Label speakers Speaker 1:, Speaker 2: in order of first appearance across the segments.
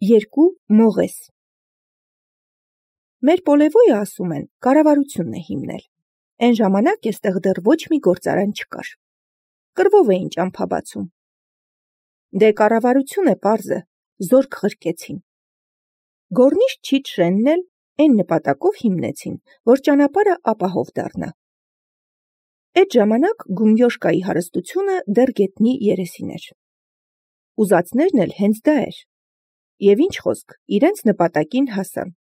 Speaker 1: Երկու մողես։ Մեր պոլևոյը ասում են, կառավարությունն է հիմնել։ Էն ժամանակ էստեղ դեռ ոչ մի գործարան չկար։ Կռվով էին ճամփաբացում։ Դե կառավարություն է պարզը, զորք ղրկեցին։ Գորնիշ Չիչ Շենն էլ էն նպատակով հիմնեցին, որ ճանապարհը ապահով դառնա։ Էդ ժամանակ Գումյոշկայի հարստությունը դեռ գետնի երեսին էր։ Ուզածներն էլ հենց դա էր։ Եվ ինչ խոսք, իրենց նպատակին հասան։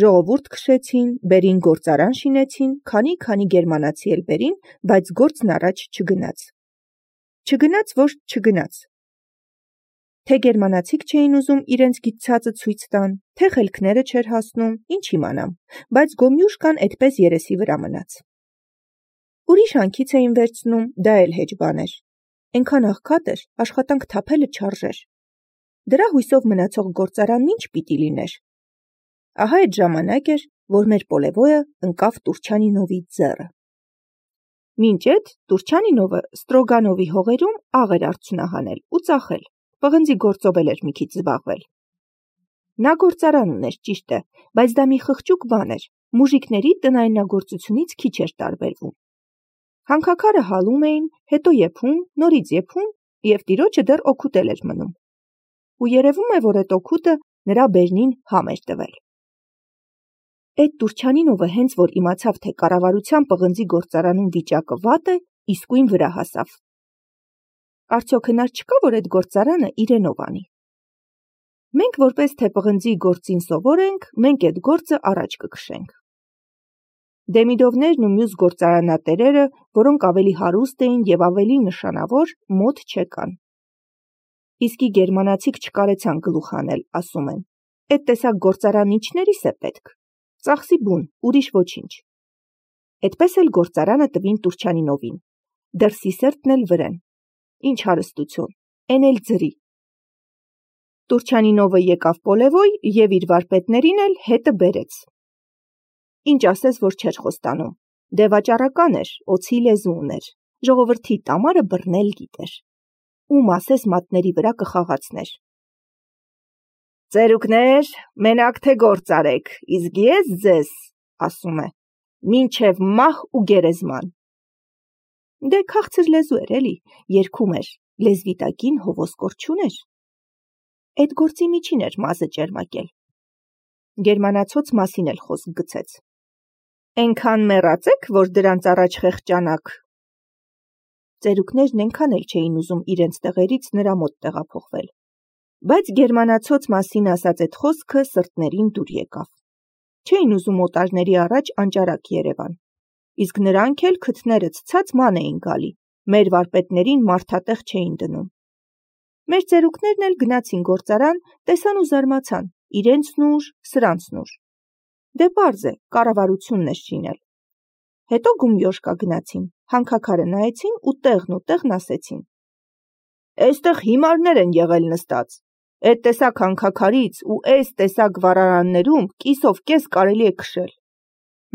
Speaker 1: Ժողովուրդ քշեցին, բերին գործարան շինեցին, քանի գերմանացի էլ բերին, բայց գործն առաջ չգնաց։ Չգնաց, որ չգնաց։ Թե գերմանացիք չէին ուզում իրենց գիտցածը ցույց տան, թե խելքները չէր հասնում, ինչ իմանամ, բայց Գոմյուշկան այդպես երեսի վրա մնաց։ Ուրիշ հանքից էին վերցնում, դա էլ հեչ բան էր։ Էնքան աղքատ էր, աշխատանք թափելը չարժեր։ Դրա հույսով մնացող գործարանն ինչ պիտի լիներ։ Ահա այդ ժամանակ էր, որ մեր պոլևոյը ընկավ Տուրչանինովի ձեռը։ Մինչ այդ Տուրչանինովը Ստրոգանովի հողերում աղ էր արդյունահանել ու ծախել, պղնձի գործով էր մի քիչ զբաղվել։ Նա գործարան ուներ, ճիշտ է, բայց դա մի խղճուկ բան էր, մուժիկների տնայնագործությունից քիչ էր տարբերվում։ Հանքաքարը հալում էին, հետո եփում, նորից եփում, եւ տիրոջը դեռ օգուտել էր մնում։ Ու երևում է, որ այդ օգուտը նրա բերնին համ էր տվել։ Այդ Տուրչանինովը հենց որ իմացավ, թե կառավարության պղնձի գործարանում վիճակը վատ է, իսկույն վրա հասավ։ Արդյոք հնար չկա, որ այդ գործարանը իրենով անի։ Մենք որպես թե պղնձի գործին սովոր ենք, մենք այդ գործը առաջ կքշենք։ Դեմիդովներն ու մյուս գործարանատերերը, որոնք ավելի հարուստ էին եւ ավելի նշանավոր, մոտ չեկան։ Իսկի գերմանացիք չկարեցան գլուխ անել, ասում են։ Այդ տեսակ գործարան ինչներիս է պետք։ Ծախսի բուն, ուրիշ ոչինչ։ Այդպես էլ գործարանը տվին Տուրչանինովին։ Դեռ Սիսերտն էլ վրեն։ Ինչ հարստություն, էն էլ ձրի։ Տուրչանինովը եկավ պոլևոյ եւ իր վարպետներին էլ հետը բերեց։ Ինչ ասես, որ չէր խոստանում։ Դե վաճառական էր, օցի լեզու ուներ։ Ժողովրդի տամարը բռնել գիտեր։ Ում ասես մատների վրա կխաղացներ։ Ծերուկներ, մենակ թե գործ արեք, իսկ ես ձեզ, ասում է, մինչև մահ ու գերեզման։ Դե քաղցր լեզու էր էլի, երգում էր, լեզվի տակին հովոս կորչուն էր։ Այդ գործի միջին էր մազը ճերմակել։ Գերմանացոց մասին էլ խոսք գցեց։ Էնքան մեռածեք, որ դրանց առաջ խեղճանաք։ Ծերուկներն էնքան էլ չէին ուզում իրենց տեղերից նրա մոտ տեղափոխվել։ Բայց գերմանացոց մասին ասած այդ խոսքը սրտներին դուր եկավ։ Չէին ուզում օտարների առաջ անճարակ Երևան։ Իսկ նրանք էլ քթները ցած ման էին գալի, մեր վարպետներին մարդատեղ չէին դնում։ Մեր ծերուկներն էլ գնացին գործարան, տեսան ու զարմացան, իրենցն ուժ, սրանցն ուժ։ Դե պարզ է, կառավարությունն է շինել։ Հետո Գումյոշկա գնացին, հանքաքարը նայեցին ու տեղն ասեցին։ Էստեղ հիմարներ են եղել նստած։ Այդ տեսակ հանքաքարից ու այս տեսակ վառարաններում կիսով կես կարելի է քշել։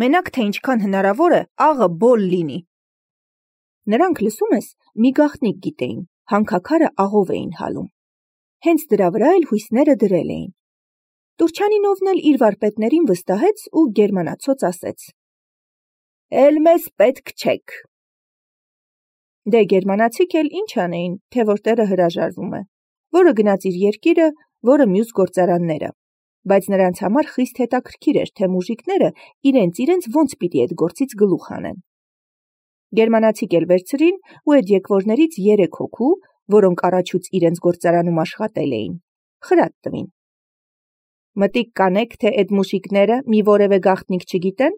Speaker 1: Մենակ թե ինչքան հնարավոր է աղը բոլ լինի։ Նրանք լսում ես, մի գաղտնիք գիտեին, հանքաքարը աղով էին հալում։ Հենց դրա վրա էլ հույսները դրել էին։ Տուրչանինովն էլ իր վարպետներին վստահեց ու գերմանացոց ասեց. Էլ մեզ պետք չեք։ Դե գերմանացիք էլ ինչ անեին, թե որ տերը հրաժարվում է, որը գնաց իր երկիրը, որը մյուս գործարանները, բայց նրանց համար խիստ հետաքրքիր էր, թե մուժիկները իրենց ոնց պիտի այդ գործից գլուխ անեն։ Գերմանացիք էլ վերցրին ու այդ եկվորներից 3 հոգու, որոնք առաջուց իրենց գործարանում աշխատել էին, խրատ տվին։ Մտիկ կանեք, թե այդ մուշիկները մի որևէ գաղտնիք չգիտեն։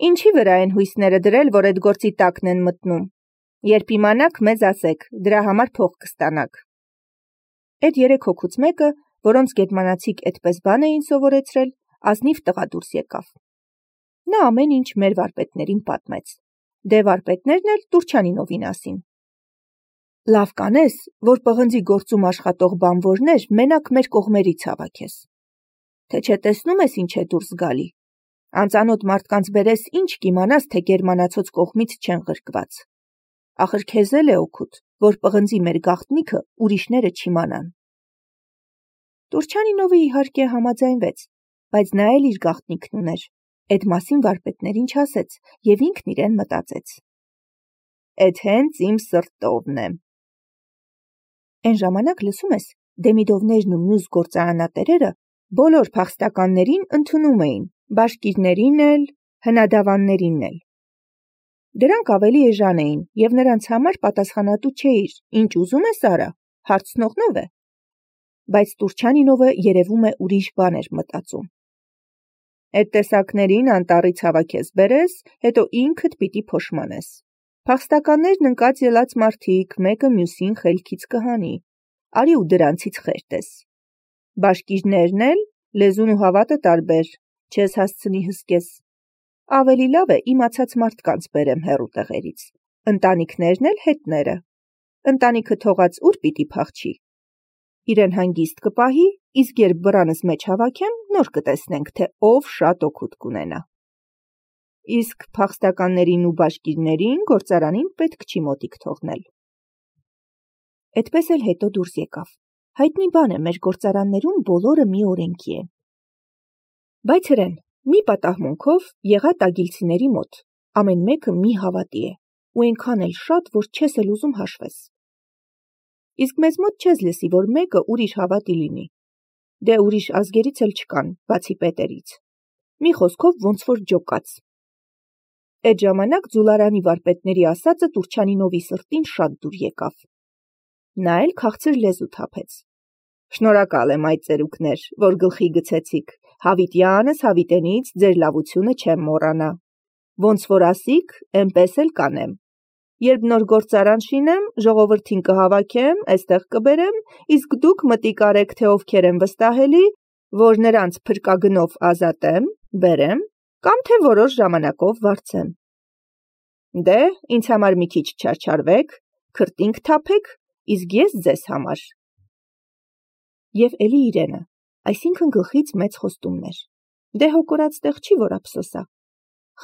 Speaker 1: Ինչի վրա են հույսները դրել, որ այդ գործի տակն են մտնում։ Երբ իմանաք, մեզ ասեք, դրա համար փող կստանաք։ Այդ 3 հոգուց մեկը, որոնց գերմանացիք այդպես բան էին սովորեցրել, ազնիվ տղա դուրս եկավ։ Նա ամեն ինչ մեր վարպետներին պատմեց։ Դե վարպետներն էլ Տուրչանինովին ասին։ Լավ կանես, որ պղնձի գործում աշխատող բանվորներ մենակ մեր կողմերից հավաքես։ Թե չէ տեսնում ես ինչ է դուրս գալի։ Անծանոթ մարդկանց բերես ինչ կիմանաս, թե գերմանացոց կողմից չեն ղրկված։ Ախր քեզ էլ է օգուտ, որ պղնձի մեր գաղտնիքը ուրիշները չիմանան։ Տուրչանինովը իհարկե համաձայնվեց, բայց նա էլ իր գաղտնիքն ուներ, էդ մասին վարպետներին չասեց և ինքն իրեն մտածեց. «Էդ հենց իմ սրտովն է»։ Էն ժամանակ լսում ես, Դեմիդովներն ու մյուս գործարանատերերը բոլոր փախստականներին ընդունում էին, բաշկիրներին էլ, հնադավաններին էլ։ Դրանք ավելի էժան էին, և նրանց համար պատասխանատու չէիր, ինչ ուզում ես արա, հարցնողն ով է։ Բայց Տուրչանինովը երևում է ուրիշ բան էր մտածում։ Էդ տեսակներին անտառից հավաքես բերես, հետո ինքդ պիտի փոշմանես։ Փախստականներն ընկած ելած մարդիկ, մեկը մյուսին խելքից կհանի, արի ու դրանցից խերտես։ Բաշկիրներն էլ լեզուն ու հավատը տարբեր, չես հասցնի հսկես։ Ավելի լավ է իմացած մարդկանց բերեմ հեռու տեղերից, ընտանիքներն էլ հետները։ Ընտանիքը թողած ուր պիտի փախչի։ Իրեն հանգիստ կպահի, իսկ երբ բռանս մեջ հավաքեմ, նոր կտեսնենք, թե ով շատ օգուտ կունենա։ Իսկ փախստականներին ու բաշկիրներին գործարանին պետք չի մոտիկ թողնել։ Էդպես էլ հետո դուրս եկավ։ Հայտնի բան է, մեր գործարաններում բոլորը մի օրենքի են։ Բայց հրեն, մի պատահմունքով եղա տագիլցիների մոտ, ամեն մեկը մի հավատի է, ու այնքան էլ շատ, որ չես էլ ուզում հաշվես։ Իսկ մեզ մոտ չես լսի, որ մեկը ուրիշ հավատի լինի։ Դե ուրիշ ազգերից էլ չկան, բացի պետերից։ Մի խոսքով ոնց որ ջոկաց։ Այդ ժամանակ ձուլարանի վարպետների ասածը Տուրչանինովի սրտին շատ դուր եկավ։ Նա էլ քաղցր լեզու թափեց։ Շնորհակալ եմ այդ ծերուկներ, որ գլխի գցեցիք, հավիտյանս հավիտենից ձեր լավությունը չեմ մոռանա։ Ոնց որ ասիք, էնպես էլ կանեմ։ Երբ նոր գործարան շինեմ, ժողովրդին կհավաքեմ, այստեղ կբերեմ, իսկ դուք մտիկ արեք, թե ովքեր են վստահելի, որ նրանց փրկագնով ազատեմ, բերեմ, կամ թե որոշ ժամանակով վարձեմ։ Դե, ինձ համար մի քիչ չարչարվեք, քրտինք թափեք, իսկ ես ձեզ համար։ Եվ էլի իրենը, այսինքն գլխից մեծ խոստումներ։ Դե հոգորած տեղ չի, որ ափսոսա։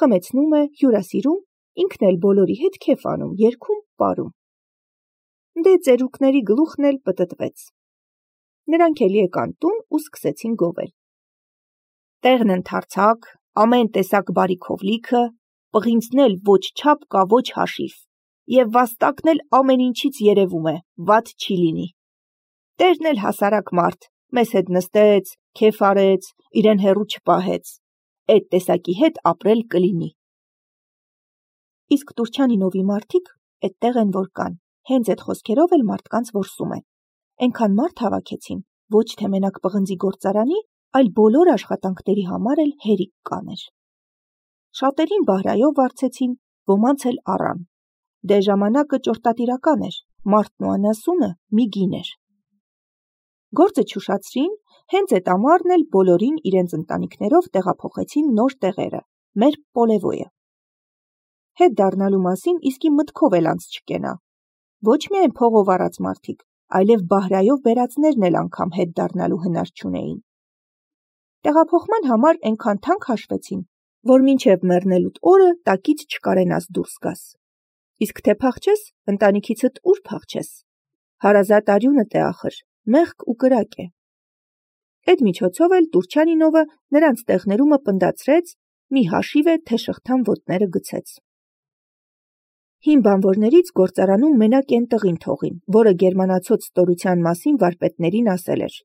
Speaker 1: Խմեցնում է, հյուրասիրում, ինքն էլ բոլորի հետ քեֆ անում, երգում, պարում։ Դե ծերուկների գլուխն էլ պտտվեց։ Նրանք էլի եկան տուն ու սկսեցին գովել։ Տեղն ընդարձակ, ամեն տեսակ բարիքով լիքը, պղինձն էլ ոչ չափ կա, ոչ հաշիվ, և վաստակն էլ ամեն ինչից երևում է, վատ չի լինի։ Տերն էլ հասարակ մարդ, մեզ հետ նստեց, քեֆ արեց, իրեն հեռու չպահեց։ Էդ տեսակի հետ ապրել կլինի։ Իսկ Տուրչանինովի մարդիկ էդտեղ են որ կան, հենց այդ խոսքերով էլ մարդկանց որսում են։ Էնքան մարդ հավաքեցին, ոչ թե մենակ պղնձի գործարանի, այլ բոլոր աշխատանքների համար էլ հերիք կաներ։ Շատերին բահրայով վարձեցին, ոմանց էլ առան։ Դե ժամանակը ճորտատիրական էր, մարդն ու անասունը մի գին էր։ Գործը չուշացրին, հենց այդ ամառն էլ բոլորին իրենց ընտանիքներով տեղափոխեցին նոր տեղերը, մեր Պոլևոյը։ Հետ դառնալու մասին իսկի մտքով էլ անց չկենա։ Ոչ միայն փողով առած մարդիկ, այլև բահրայով բերածներն էլ անգամ հետ դառնալու հնար չունեին։ Տեղափոխման համար այնքան թանկ հաշվեցին, որ մինչև մեռնելուդ օրը տակից չկարենաս դուրս գաս։ Իսկ թե փախչես, ընտանիքիցդ ուր փախչես։ Հարազատ արյունդ է ախր, մեղք ու կրակ է։ Այդ միջոցով էլ Տուրչանինովը նրանց տեղներումը պնդացրեց, մի հաշիվ է, թե շղթան ոտները գցեց։ Հին բանվորներից գործարանում մենակ են տղին թողին, որը գերմանացոց ստորության մասին վարպետներին ասել էր։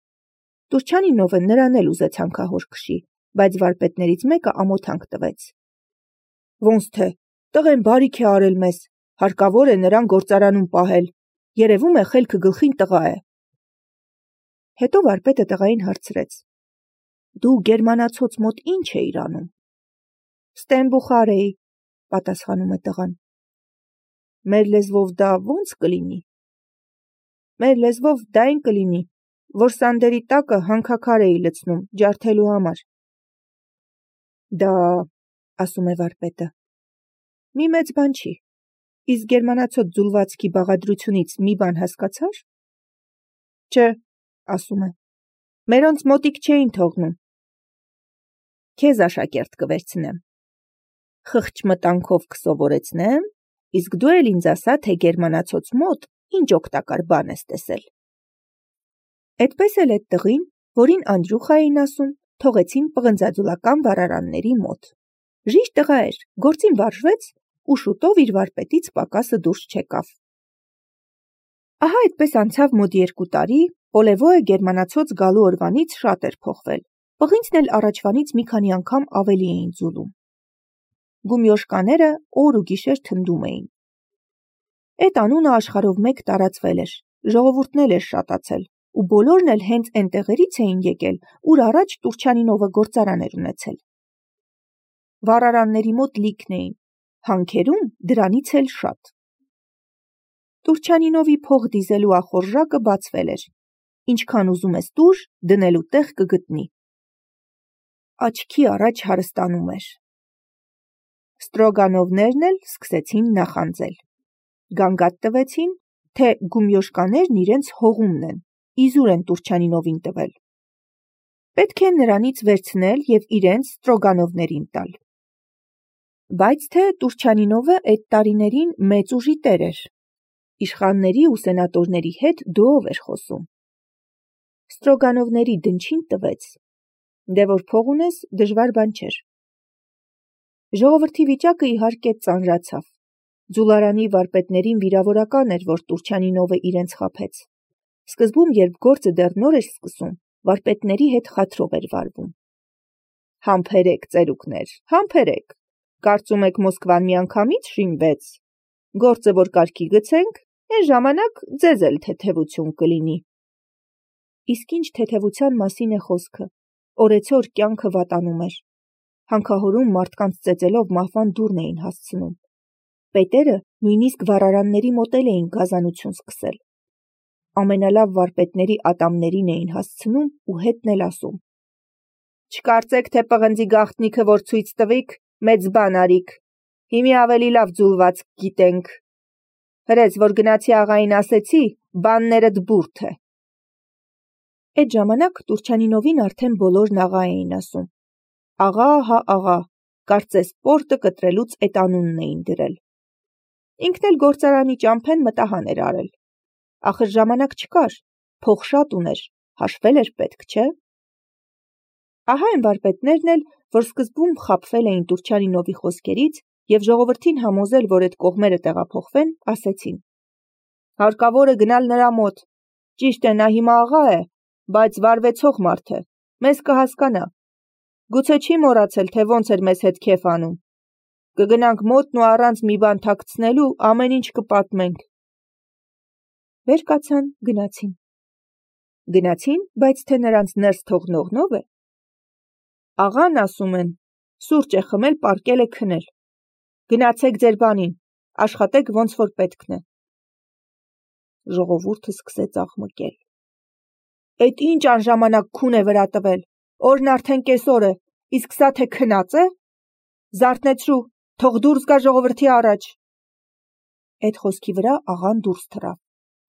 Speaker 1: Տուրչանինովը նրան էլ ուզեց հանքահոր քշի, բայց վարպետներից մեկը ամոթանք տվեց։ Ոնց թե, տղեն բարիք է արել մեզ, հարկավոր է նրան գործարանում պահել, երևում է խելքը գլխին տղա է։ Հետո վարպետը տղային հարցրեց. Դու գերմանացոց մոտ ինչ էիր անում։ Ստենբուխար էի, պատասխանում է տղան։ Մեր լեզվով դա ո՞նց կլինի։ Մեր լեզվով դա այն կլինի, որ սանդերի տակը հանքաքար էի լցնում, ջարդելու համար։ Դա, ասում է վարպետը, մի մեծ բան չի, իսկ գերմանացոց ձուլվածքի բաղադրությունից մի բան հասկացար։ Չէ, ասում է, մերոնց մոտիկ չէին թողնում։ Քեզ աշակերտ կվերցնեմ։ Խղճ մտանքով կսովորեցնեմ, իսկ դու էլ ինձ ասա, թե գերմանացոց մոտ ինչ օգտակար բան ես տեսել։ Էդպես էլ այդ տղին որին Անդրյուխա էին ասում, թողեցին պղնձաձուլական վառարանների մոտ։ Ժիշտ տղա էր, գործին վարժվեց ու շուտով իր վարպետից պակասը դուրս չեկավ։ Ահա այդպես անցավ մոտ 2 տարի, Պոլևոյը գերմանացոց գալու օրվանից շատ էր փոխվել։ Պղինցն էլ առաջվանից մի քանի անգամ ավելի էին ձուլում։ Գումյոշկաները օր ու գիշեր թնդում էին։ Այդ անունը աշխարհով մեկ տարածվել էր, ժողովուրդն էլ էր շատացել, ու բոլորն էլ հենց այն տեղերից էին եկել, ուր առաջ Տուրչյանինովը գործարան էր ունեցել։ Վառարանների մոտ լիքն էին, հանքերում դրանից էլ շատ։ Տուրչյանինովի փող դիզելու ախորժակը բացվել էր։ Ինչքան ուզում ես տուր, դնելու տեղ կգտնի։ Աչքի առաջ հարստանում էր։ Ստրոգանովներն էլ սկսեցին նախանձել։ Գանգատ տվեցին, թե գումյոշկաներն իրենց հողումն են, իզուր են Տուրչյանինովին տվել։ Պետք է նրանից վերցնել և իրենց Ստրոգանովներին տալ։ Բայց թե Տուրչյանինովը այդ տարիներին մեծ ուժի տեր էր։ Իշխանների ու սենատորների հետ դոով էր խոսում։ Ստրոգանովների դնչին տվեց։ Դե որ փող ունես, դժվար բան չէր։ Ժողովրդի վիճակը իհարկե ծանրացավ։ Ձուլարանի վարպետներին վիրավորական էր, որ Տուրչյանինովը իրենց խաբեց։ Սկզբում, երբ գործը դեռ նոր էր սկսում, վարպետների հետ խաթրով էր վարվում։ Համբերեք, ծերուկներ, համբերեք։ Կարծում եք Մոսկվան միանգամից շինվեց։ Գործը որ կարգի գցենք, այն ժամանակ ձեզ էլ թեթևություն կլինի։ Իսկ ինչ թեթևության մասին է խոսքը։ Օրեցօր կյանքը վատանում էր։ Հանքահորում մարդկանց ծեծելով մահվան դուռն էին հասցնում։ Պետերը նույնիսկ վառարանների մոտ էին գազանություն սկսել։ Ամենալավ վարպետների ատամներին էին հասցնում ու հետն էլ ասում. Չկարծեք, թե պղնձի գաղտնիքը որ ցույց տվիք, մեծ բան արիք։ Հիմի ավելի լավ ձուլված գիտենք։ Հրեց, որ գնացի աղային ասեցի, բաններդ բուրդ է։ Այդ ժամանակ Տուրչյանինովին արդեն բոլորն աղա էին ասում։ Աղա, հա աղա, կարծես պորտը կտրելուց այդ անունն էին դրել։ Ինքն էլ գործարանի ճամփեն մտահան էր արել։ Ախր ժամանակ չկար, փող շատ ուներ, հաշվել էր պետք, չէ։ Ահա այն վարպետներն էլ, որ սկզբում խաբվել էին Տուրչյանինովի խոսքերից և ժողովրդին համոզել, որ այդ կողմերը տեղափոխվեն, ասեցին. Հարկավոր է գնալ նրա մոտ։ Ճիշտ է, նա հիմա աղա է, բայց վարվեցող մարդ է, մեզ կհասկանա։ Գուցե չի մոռացել, թե ոնց էր մեզ հետ քեֆ անում։ Կգնանք մոտն ու առանց մի բան թաքցնելու ամեն ինչ կպատմենք։ Վեր կացան, գնացին։ Գնացին, բայց թե նրանց ներս թողնողնով է։ Աղան ասում են, սուրճ է խմել, պարկել է քնել։ Գնացեք ձեր բանին, աշխատեք ոնց որ պետքն է։ Ժողովուրդը սկսեց աղմկել։ Այդ ինչ անժամանակ քուն է վրա տվել, օրն արդեն կեսօր է, իսկ սա թե քնած է։ Զարթնեցրու, թող դուրս գա ժողովրդի առաջ։ Այդ խոսքի վրա աղան դուրս թռավ,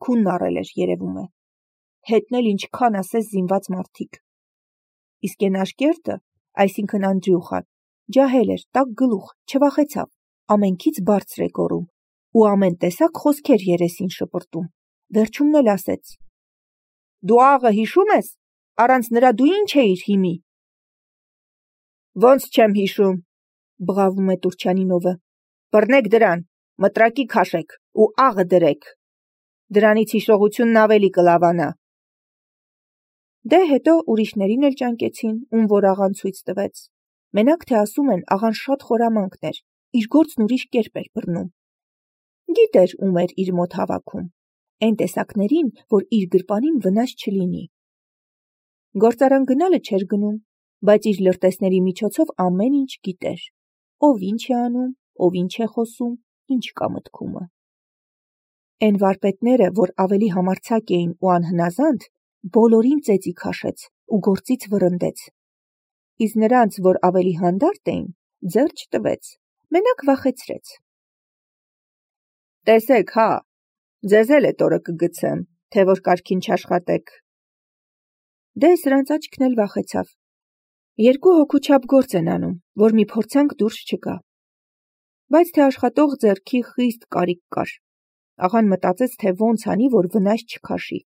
Speaker 1: քունն առել էր երևում է։ Հետն էլ ինչքան ասես զինված մարդիկ։ Իսկ այն աշկերտը, այսինքն Անդրյուխան, ջահել էր, տաք գլուխ, չվախեցավ, ամենքից բարձր է գոռում ու ամեն տեսակ խոսքեր երեսին շպրտում։ Վերջումն էլ ասեց. Դու աղը հիշում ես, առանց նրա դու ինչ էիր հիմի։ Ոնց չեմ հիշում, բղավում է Տուրչյանինովը։ Բռնեք դրան, մտրակի քաշեք ու աղը դրեք։ Դրանից հիշողությունն ավելի կլավանա։ Դե հետո ուրիշներին էլ ճանկեցին, ում որ աղան ցույց տվեց։ Մենակ թե ասում են, աղան շատ խորամանկն էր, իր գործն ուրիշ կերպ էր բռնում։ Գիտեր, ում էր իր մոտ հավաքում, այն տեսակներին, որ իր գրպանին վնաս չլինի։ Գործարան գնալը չէր գնում, բայց իր լրտեսների միջոցով ամեն ինչ գիտեր, ով ինչ է անում, ով ինչ է խոսում, ինչ կա մտքումը։ Այն վարպետները, որ ավելի համարձակ էին ու անհնազանդ, բոլորին ծեծի քաշեց ու գործից վռնդեց։ Իսկ նրանց, որ ավելի հանդարտ էին, ձեռ չտվեց, մենակ վախեցրեց։ Տեսեք, հա, ձեզ էլ էդ օրը կգցեմ, թե որ կարգին չաշխատեք։ Դե սրանց աչքն էլ վախեցավ։ 2 հոգու չափ գործ են անում, որ մի փորձանք դուրս չգա։ Բայց թե աշխատող ձեռքի խիստ կարիք կար։ Աղան մտածեց, թե ոնց անի, որ վնաս չքաշի։